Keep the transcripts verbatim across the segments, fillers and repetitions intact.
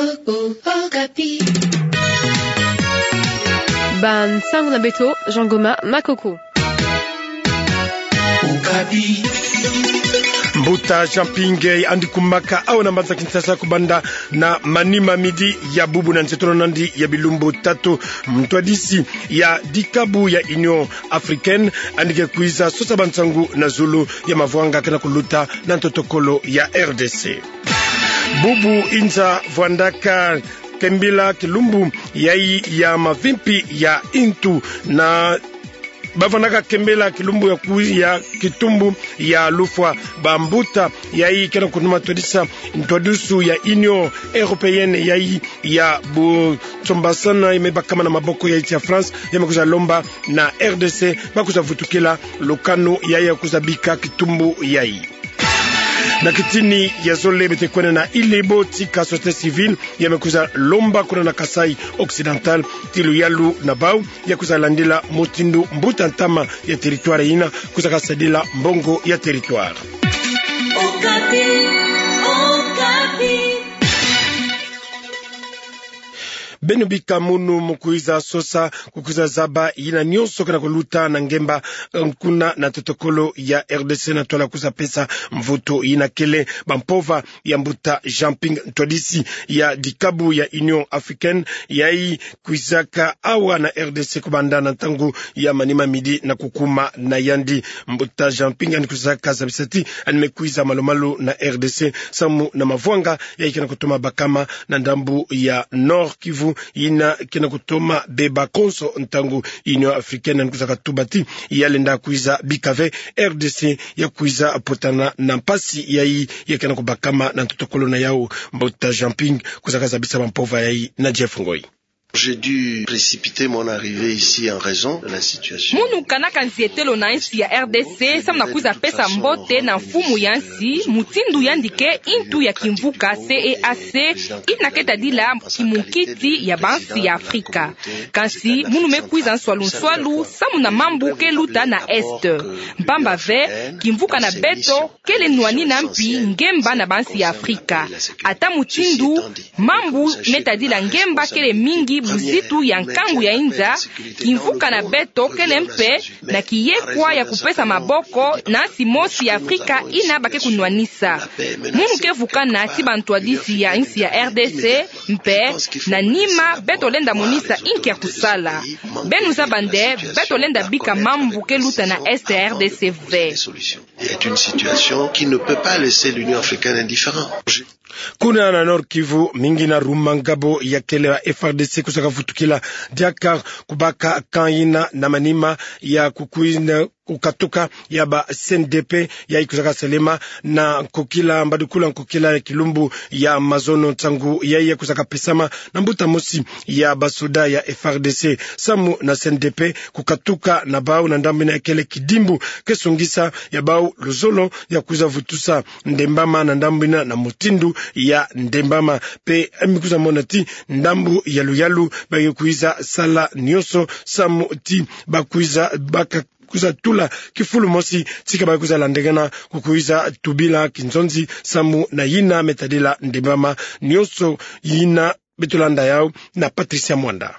Okapi. Bansangu na beto, Jean Goma Makoko. Okapi. Mbuta Jean Ping yandi kumaka awa na mbanza Kinshasa kubanda na manima midi ya bubu na nsetolo nandi ya bilumbu tatu. Mtwadisi ya dikabu ya Union Africaine yandi ke kwiza sosa bansangu na zulu ya mavwanga kena kuluta na ntotokolo ya R D C. Bubu inza vwandaka kembila kilumbu yayi ya mavimpi ya ntu na bavwandaka kembila kilumbu ya ku-, ya kitumbu ya lufwa. Bambuta yayi kena kunuma twadisa ntwadisu ya Union Européenne yayi ya busombasana ya me bakama na maboko ya nsi ya France ya me kwiza lomba na R D C ba kwiza vutukila lukanu yayi ya kwiza bika kitumbu yayi. Na kitini ya zole beto ke kwenda na Ile-Ebo, tika société civile ya me kwiza lomba kuna na Kasaï Occidental ti luyalu na bau ya kwiza landila mutindu mbuta ntama ya territoire yina kwiza kasadila mbongo ya territoire. Okapi, Okapi. Beno bika munu mu kwiza sosa, ku kwiza zaba yina nyonso kena kuluta na ngemba, eh, kuna na ntotokolo ya R D C na twala kwiza pesa mvutu yina kele bampova ya mbuta Jean Ping, ntwadisi ya dikabu ya Union Africaine, yayi kwizaka awa na R D C kubanda na ntangu ya manima midi na kukuma na yandi. Mbuta Jean Ping yandi kwizaka zabisa ti yandi me kwiza malu-malu na R D C samu na mavwanga yayi kena kutoma bakama na ndambu ya Nord-Kivu, yina kena kutoma beba konso ntangu Union Africaine yandi kwizaka tuba ti ya lenda kwiza bika ve R D C ya kwiza potana na mpasi yayi ya kena kubakama na ntotokolo na yau. Mbuta Jean Ping kwizaka zabisa bampova yayi na Jeff Ngoi. J'ai dû précipiter mon arrivée ici en raison de la situation. Munu kanaka nzietelo na nsi ya R D C samu na kwiza pesa mbote na mfumu ya nsi, mutindu yandi ke ntu ya kimvuka C E A C, yina ke tadila kimunkiti ya bansi ya Afrika. Kansi munu me kwiza nswalu-nswalu samu na mambu ke luta na Est. Mpamba ve, kimvuka na beto kele nwanina mpi ngemba na bansi ya Afrika. Ata mutindu mambu me tadila ngemba kele mingi buzitu ya nkangu ya inza, kimvuka na beto kele mpe na kiyekwa ya kupesa maboko na nsi mosi ya Afrika yina ba ke kunwanisa. Munu ke vukana ti bantwadisi ya nsi ya R D C, mpe na nima beto lenda monisa inki ya kusala. Beno zaba nde beto lenda bika mambu ke luta na Est ya R D C ve. Il y a une situation qui ne peut pas laisser l'Union africaine indifférente. Kuna na Nord-Kivu, mingi na Rumangabo ya kele ba F R D C kwizaka vutukila diaka kubaka camp yina na manima ya kukwina kukatuka ya ba C N D P yayi kwizaka salema na nkokila, mbadukulu ya nkokila ya kilumbu ya mazono. Nsangu yayi ya kwizaka pesama na mbuta mosi ya basoda ya F R D C samu na C N D P kukatuka na bau na ndambu yina ya kele kidimbu ke songisa ya bau luzolo ya kwiza vutusa ndembama na ndambu yina na mutindu ya ndembama. Mpe mi kwiza mona ti ndambu yalu-yalu ba ke kwiza sala nyonso samu ti ba kwiza baka kwiza tula kifulu mosi ti ka ba kwiza landakana ku kwiza tubila kinzonzi samu na yina me tadila ndembama. Nyonso yina beto landa yau na Patricia Mwanda.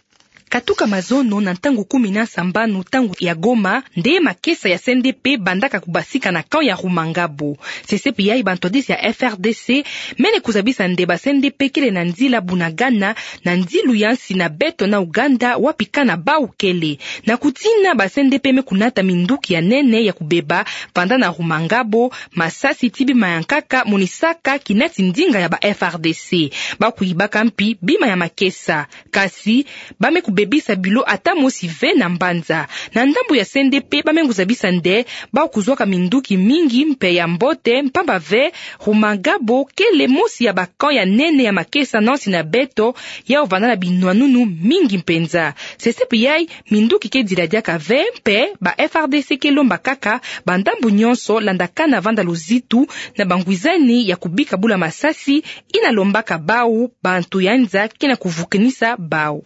Katuka mazono na ntangu kumi na sambanu ntangu ya Goma, nde makesa ya C N D P bandaka kubasika na camp ya Rumangabo. Sesepi yayi bantwadisi ya F R D C mene kuzabisa nde ba C N D P kele na nzila Bunagana, na nzilu ya nsi na beto na Ouganda, wapi camp na bau kele. Na kutina ba C N D P me kunata minduki ya nene ya kubeba vanda na Rumangabo, masasi ti bima ya nkaka monisaka kinati ndinga ya ba F R D C. Ba kuyibaka mpi bima ya makesa. Kasi ba me kubebisa bilo ata mosi ve na mbanza. Na ndambu ya C N D P ba me kuzabisa nde ba kuzwaka minduki mingi mpe ya mbote, mpamba ve Rumangabo kele mosi ya ba camp ya nene ya makesa na nsi na beto, yau vanda na binwanunu mingi mpenza. Sesepi yayi minduki ke dila diaka ve, mpe ba F R D C ke lomba kaka bandambu nyonso landakana vanda luzitu na bangwizani ya kubika bula masasi yina lombaka bau bantu ya nza kina kuvukinisa bau.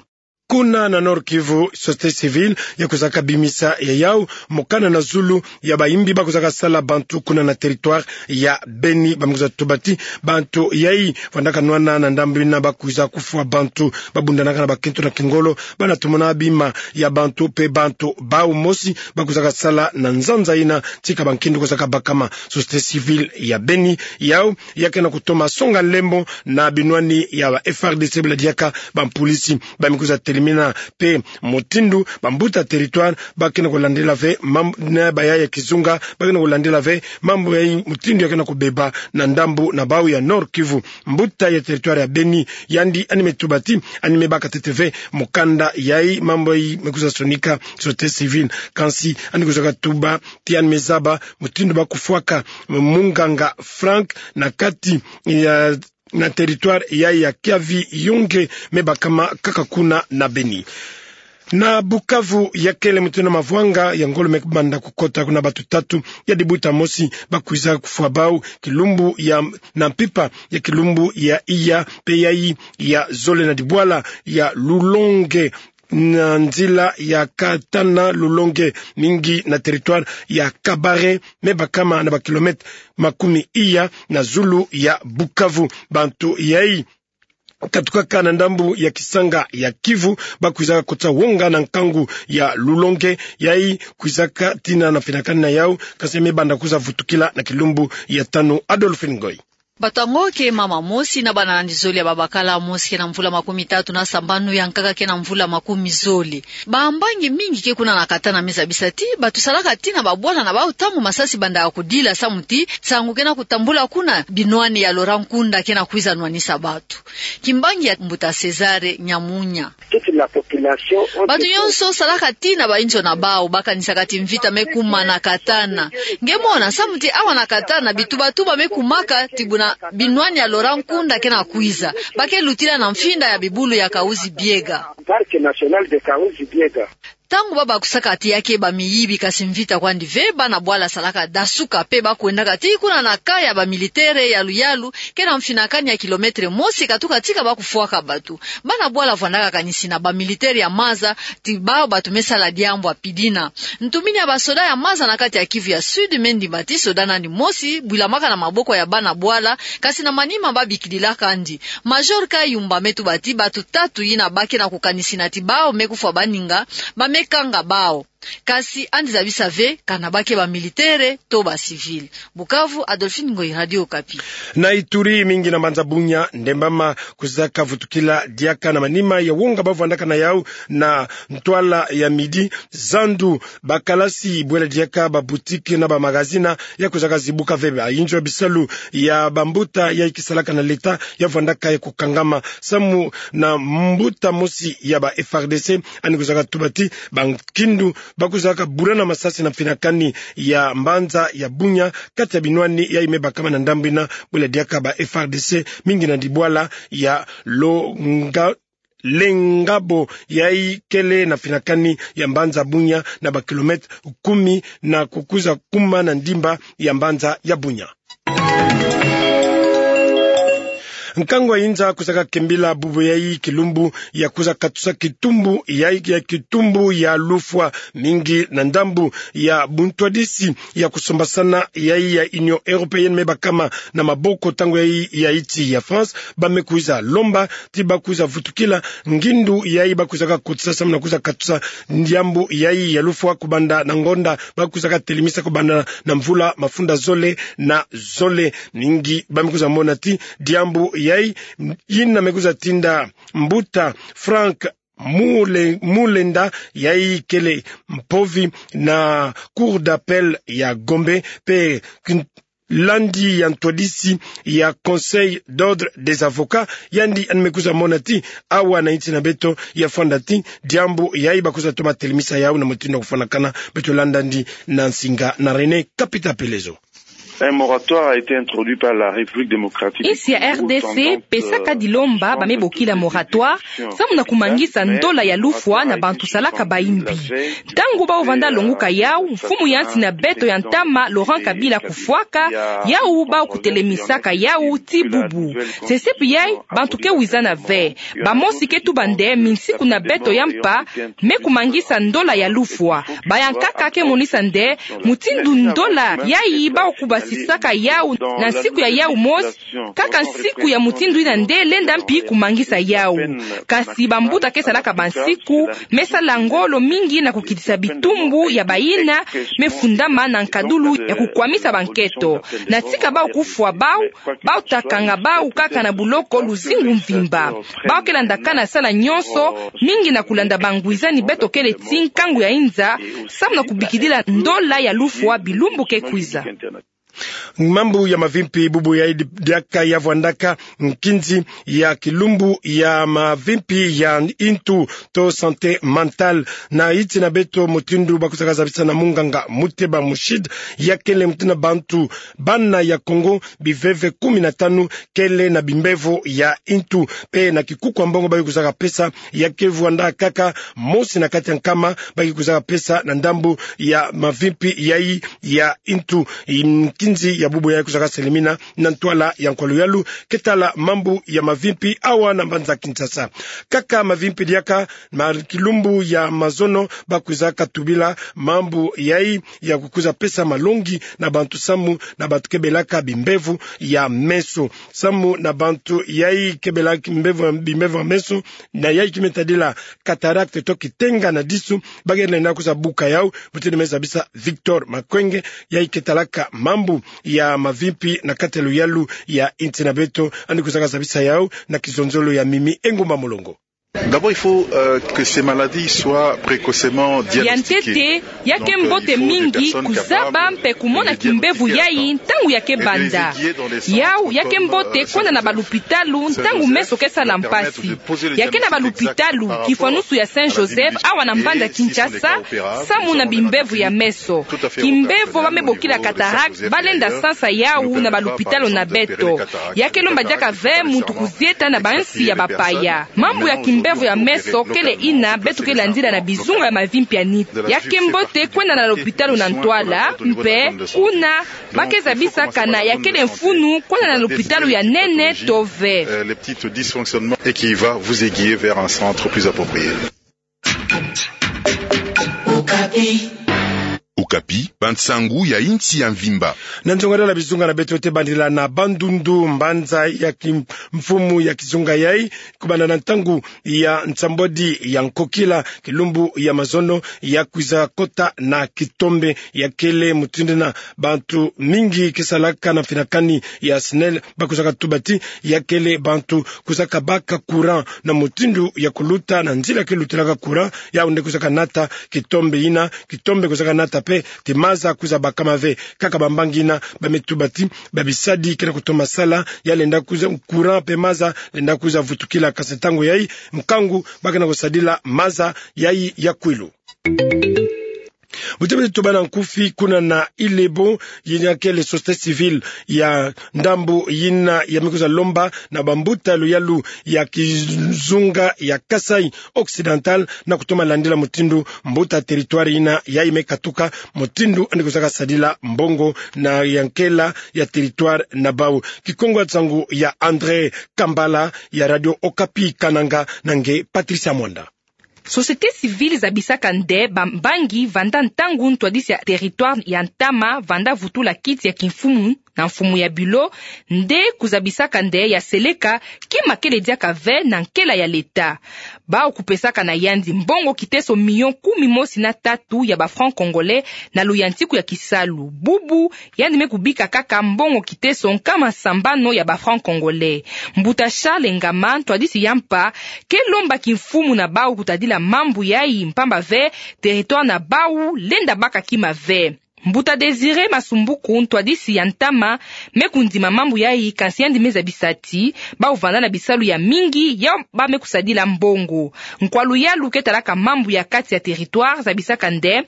Kuna na Nord-Kivu, société civile ya kwizaka bimisa ya yau mokanda na zulu ya bayimbi ba kwizaka sala bantu kuna na territoire ya Beni, ba me kwiza tuba ti bantu yayi vandaka nwana na ndambu yina ba kwiza kufwa bantu, ba bundanaka na bakintu na kingolo, bana tomona bima ya bantu mpe bantu bau mosi ba kwizaka sala na nzanza yina tika bankindu kwizaka bakama. Société civile ya Beni yau ya ke na kutoma songa nlembo na binwani ya ba F R D C, bula diaka bampulisi ba me kwiza telimina mpe mutindu bambuta territoire ba ke na kulandila ve mam-, na baya ya kizunga, ba ke na kulandila ve mambu yayi, mutindu ya ke na kubeba na ndambu na bau ya Nord-Kivu. Mbuta ya territoire ya Beni yandi yandi me tuba ti yandi me baka ntete ve mokanda yayi, mambu yayi me kwiza sonika société civile. Kansi yandi kwizaka tuba ti yandi me zaba mutindu ba kufwaka munganga Franck na kati ya, na territoire yayi ya Kiavi-Yonge, me bakama kaka kuna na Beni. Na Bukavu, ya kele mutindu na mavwanga ya ngolo me banda kukota, kuna batu tatu ya dibuta mosi ba kwiza kufwa bau kilumbu ya, na mpimpa ya kilumbu ya iya mpe yayi ya zole na dibwala ya Lulonge, na nzila ya Katana-Lulonge, mingi na territoire ya Kabare, me bakama na bakilomètre makumi iya na zulu ya Bukavu. Bantu yayi katukaka na ndambu ya Kisanga ya Kivu ba kwizaka kotisa wonga na nkangu ya Lulonge, yayi kwizaka tina na mfinakani na yau, kansi me banda kwiza vutukila na kilumbu ya tanu. Adolphine Ngoy. Bato yango ke mama mosi na bana yandi zole ya babakala, mosi ke na mvula makumi tatu na sambanu, ya nkaka ke na mvula makumi zole. Bambangi mingi ke kuna na Katana me zabisa ti bato salaka tina babwala na bau ntangu masasi bandaka kudila, samu ti nsangu ke na kutambula kuna, binwani ya Laurent Nkunda ke na kwiza nwanisa bato. Kimbangi ya mbuta César Nyamunya. Toute la population ont... Bato nyonso salaka tina bainzo na bau, ba kanisaka ti mvita me kuma na Katana. Nge mona, samu ti awa na Katana bitubatuba me kumaka ti buna binwani ya Laurent Nkunda ke na kwiza. Ba ke lutila na mfinda ya bibulu ya Kahuzi-Biega. Parc national de Kahuzi-Biega. Ntangu ba bakusaka ti ya ke bamiyibi, kansi mvita kwandi ve, bana bwala salaka dasuka mpe ba kwendaka ti kuna na camp ya bamilitaire ya Luyalu, ke na mfinakani ya kilomètre mosi katuka tika ba kufwaka bato. Bana bwala vwandaka kanisi na bamilitaire ya maza ti bau bato me sala diambu ya pidina. Ntumini ya basoda ya maza na kati ya Kivu ya Sud me ndima ti soda na yandi mosi bwilamaka na maboko ya bana bwala, kansi na manima ba bikidilaka yandi. Major Kayumba me tuba ti bato tatu yina ba ke na kukanisina ti bau me kufwa baninga, ba me kanga bau. Kansi yandi zabisa ve kana ba ke bamilitaire to bacivil. Bukavu, Adolphine Ngoy, Radio Okapi. Na Ituri, mingi na mbanza Bunia, ndembama kwizaka vutukila diaka na manima ya wonga ba vwandaka na yau na ntwala ya midi. Zandu, bakalasi, bwela diaka baboutique na bamagazini ya kwizaka zibuka ve. Bainzo ya bisalu ya bambuta yayi kisalaka na l'État ya vwandaka ya kukangama, samu na mbuta mosi ya ba F R D C yandi kwizaka tuba ti bankindu ba kwizaka bula na masasi na mfinakani ya mbanza ya Bunia, kati ya binwani yayi me bakama na ndambu yina, bwela diaka ba F R D C, mingi na dibwala ya Longa-, Lengabo, yayi kele na mfinakani ya mbanza Bunia na bakilomètre kumi na kukwiza kuma na ndimba ya mbanza ya Bunia. Nkangu ya inza kwizaka kembila bubu yayi kilumbu ya kwiza katusa kitumbu yayi, ya kitumbu ya lufwa, mingi na ndambu ya buntwadisi ya kusombasana yayi ya Union Européenne me bakama na maboko ntangu yayi ya insi ya France. Ba me kwiza lomba ti ba kwiza vutukila ngindu yayi ba kwizaka kotisa samu na kwiza katusa diambu yayi ya lufwa kubanda na ngonda ba kwizaka telimisa kubanda na mvula mafunda zole na zole. Mingi ba me kwiza mona ti diambu yayi yina me kwiza tinda mbuta Franck Mule-, Mulenda, yayi kele mpovi na Cour d'appel ya Gombe, mpe kin-, landi ya ntwadisi ya Conseil d'ordre des avocats, yandi yandi me kwiza mona ti awa na insi na beto ya fwanda ti diambu yayi ba kwiza toma telimisa yau na mutindu ya kufwanakana. Beto landa yandi na nsinga na René Kapita Pelezo. Un moratoire a été introduit par la République démocratique du Congo. Insi ya R D C epesaka dilomba ba me bokila moratoire, samu na kumangisa ndola ya lufwa na bantu salaka bayimbi. Ntangu bau vanda longuka yau, mfumu ya nsi na beto ya ntama Laurent Kabila kufwaka, yau bau kutelemisaka yau tii bubu. Sesepi yai, bantu ke wizana ve. Bamosi ke tuba nde minsiku na beto ya mpa me kumangisa ndola ya lufwa. Bayankaka ke monisa nde mutindu ndola yai bau kubasisaka yau na nsiku ya yau mosi, kaka nsiku ya mutindu ina nde lenda mpi kumangisa yau. Kasi bambuta ke salaka bansiku, me sala ngolo mingi na kukitisa bitumbu ya bayina me fundama na nkadulu ya kukwamisa banketo. Na tika bau kufwa bau, bau ta kanga bau kaka na buloko luzingu mvimba. Bau ke landakana sala nyonso, mingi na kulanda bangwizani beto kele tii nkangu ya inza, samu na kubikidila ndola ya lufwa bilumbu ke kwiza. Mambu ya mavimpi bubu yai di-, diaka ya vwandaka nkinzi ya kilumbu ya mavimpi ya intu to santé mentale. Na iti na beto mutindu ba kuzaka zabisa na munganga Muteba Mushid, ya kele mutindu na bantu bana ya Kongo biveve kumi na tanu kele na bimbevo ya intu. Pe na kikuku ya mbongo ba ke kuzaka pesa, ya ke vwanda kaka mosi na kati ya nkama ba ke kuzaka pesa na ndambu ya mavimpi yai ya intu. Nkinzi ya bubu yai kuzaka selemina na ntwala ya nkwalu yalu ke tala mambu ya mavimpi awa na mbanza Kinshasa. Kaka mavimpi diaka, ma kilumbu ya mazono ba kwizaka tubila mambu yai ya kukwiza pesa malongi na bantu samu na bantu ke belaka bimbevo ya meso. Samu na bantu yai ke belaka bimbevo, bimbevo ya meso, na yai ki me tadila cataracte to kitenga na disu, ba ke lenda kwiza buka yau, mutindu me zabisa Victor Makwenge, yai ke talaka mambu ya mavimpi na kati ya luyalu ya insi na beto, yandi kuzaka zabisa yau na kizonzolo ya Mimi Engumba Mulongo. D'abord, il faut, euh, que ces maladies soient précocement diagnostiquées. Ya ntete, ya ke mbote mingi kuzaba mpe kumona kimbevo yai ntangu ya ke banda. Yau, ya ke mbote kwenda na balupitalu ntangu meso ke sala mpasi. Ya ke na balupitalu, kifwanusu ya Saint Joseph, awa na mbanza Kinshasa, samu na bimbevo ya meso. Kimbevo ba me bokila cataracte, ba lenda sansa yau na balupitalu na beto. Ya ke lomba diaka ve muntu kuzieta na bansi ya bapaya. Mambu ya kimbevo ya meso kele ina beto ke landila na bizunga ya mavimpi ya nitu. Ya ke mbote kwenda na lupitalu na ntwala, mpe kuna ba ke zabisaka na ya kele mfunu kwenda na lupitalu ya nene to ve. Euh, les petits dysfonctionnements et qui va vous aiguiller vers un centre plus approprié. Okapi, bansangu ya insi ya mvimba. Na nzongadala bizunga na beto, tobandila na Bandundu, mbanza ya kimfumu ya kizunga yai, kubanda na ntangu ya nsambwadi ya nkokila, kilumbu ya mazono, ya kwiza kota na kitombe, ya kele mutindu na bantu mingi ke salaka na mfinakani ya SNEL, ba kwizaka tuba ti ya kele bantu kwizaka baka courant na mutindu ya kuluta na nzila ke lutilaka courant, yau nde kwizaka nata kitombe ina, kitombe kwizaka nata mpe ti maza kwiza bakama ve. Kaka bambangi ina ba me tuba ti babisadi ke na kutoma sala, ya lenda kwiza courant mpe maza lenda kwiza vutukila, kasi ntangu yai, nkangu ba ke na kusadila maza yai ya kwilu. Bu tobeti tubana nkufi, kuna na Ilebo, yina kele société civile ya ndambu yina ya me kwiza lomba na bambuta ya luyalu ya kizunga ya Kasaï Occidental na kutoma landila mutindu mbuta territoire yina yai me katuka, mutindu yandi kwizaka sadila mbongo na ya nkela ya territoire na bau. Kikongo ya nsangu ya André Kambala ya Radio Okapi Kananga, na nge Patricia Mwanda. Société civile zabisaka nde bambangi vanda ntangu ntwadisi ya territoire ya ntama vanda vutula kiti ya kimfumu na mfumu ya bilo, nde kuzabisaka nde ya seleka kima kele diaka ve na nkela ya leta. Bau kupesaka na yandi mbongo kiteso million kumi mosi na tatu ya ba francs congolais na luyantiku ya kisalu. Bubu, yandi me kubika kaka mbongo kiteso nkama sambanu ya ba francs congolais. Mbuta Charles Ngama, ntwadisi ya mpa, ke lomba kimfumu na bau kutadila mambu yai, mpamba ve territoire na bau lenda baka kima ve. Mbuta Désiré Masumbuku, ntwadisi ya ntama, me kundima mambu yai, kansi yandi me zabisa ti bau vanda na bisalu ya mingi yau ba me kusadila mbongo. Nkwa luyalu ke talaka mambu ya kati ya territoire zabisaka nde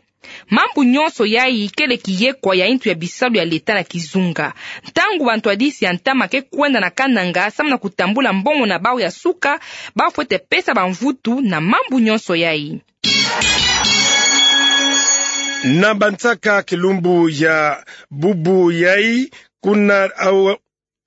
Mambu nyonso yai kele kiyekwa ya intu ya bisalu ya leta na kizunga. Ntangu bantwadisi ya ntama ke kwenda na kananga samu na kutambula mbongo na bau ya suka, bau fwete pesa bamvutu na mambu nyonso yai. Na bansaka kilumbu ya bubu yai, kuna au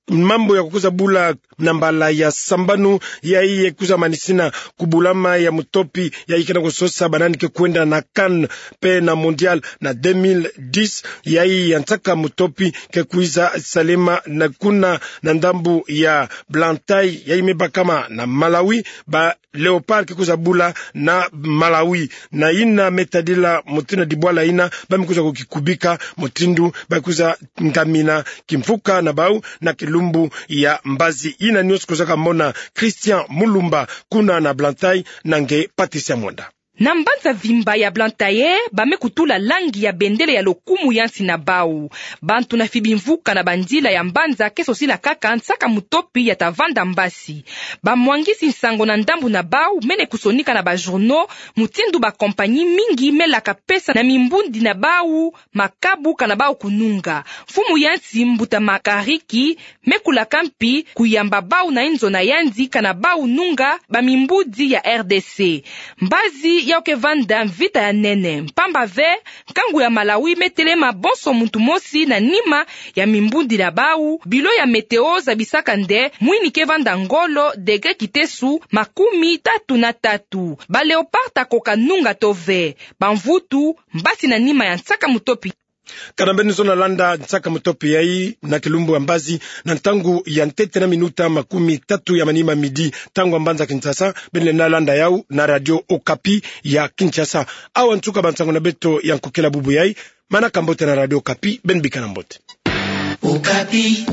mambu ya kukwiza bula na mbala ya sambanu, yai ye kwiza manisina kubulama ya mutopi yai ke na kusosa banani ke kwenda na CAN pe na Mondial na deux mille dix, yai ya nsaka mutopi ke kwiza salema na kuna na ndambu ya Blantyre, yai me bakama na Malawi, ba Léopards ke kwiza bula na Malawi. Na ina me tadila mutindu na dibwala ina, ba me kwiza kukikubika mutindu ba kwiza ngamina kimfuka na bau na kilumbu ya mbazi. Ina nyonso kwiza kamona Christian Mulumba kuna na Blantyre na nge Patricia Mwanda. Na mbanza mvimba ya Blantyre, ba me kutula langi ya bendele ya lokumu ya nsi na bau. Bantu na fibi mvuka na banzila ya mbanza ke sosila kaka nsaka mutopi ya ta vanda mbasi. Bamwangisi nsangu na ndambu na bau mene kusonika na ba journaux mutindu ba compagnie mingi me laka pesa na mimbundi na bau makabu kana bau kununga. Mfumu ya nsi mbuta Makariki me kulaka mpi kuyamba bau na inzo na yandi kana bau nunga bamimbundi ya R D C. Mbazi yau ke vanda mvita ya nene, mpamba ve nkangu ya Malawi me telema bonso muntu mosi na nima ya mimbundi na bau. Bilo ya météo zabisaka nde mwini ke vanda ngolo, degré kitesu makumi tatu na tatu. Ba Léopards ta koka nunga to ve bamvutu mbasi na nima ya nsaka mutopi. Kana mbeni zona landa nsaka mutopi yai na kilumbu ya mbazi na ntangu ya ntete na minuta makumi tatu ya manima, midi, ntangu ya mbanza Kinshasa, beni lenda landa yau na Radio Okapi ya Kinshasa. Awa nsuka ba nsangu na beto ya nkokela bubu yai. Manaka mbote na Radio Okapi, beni bikana mbote. Okapi.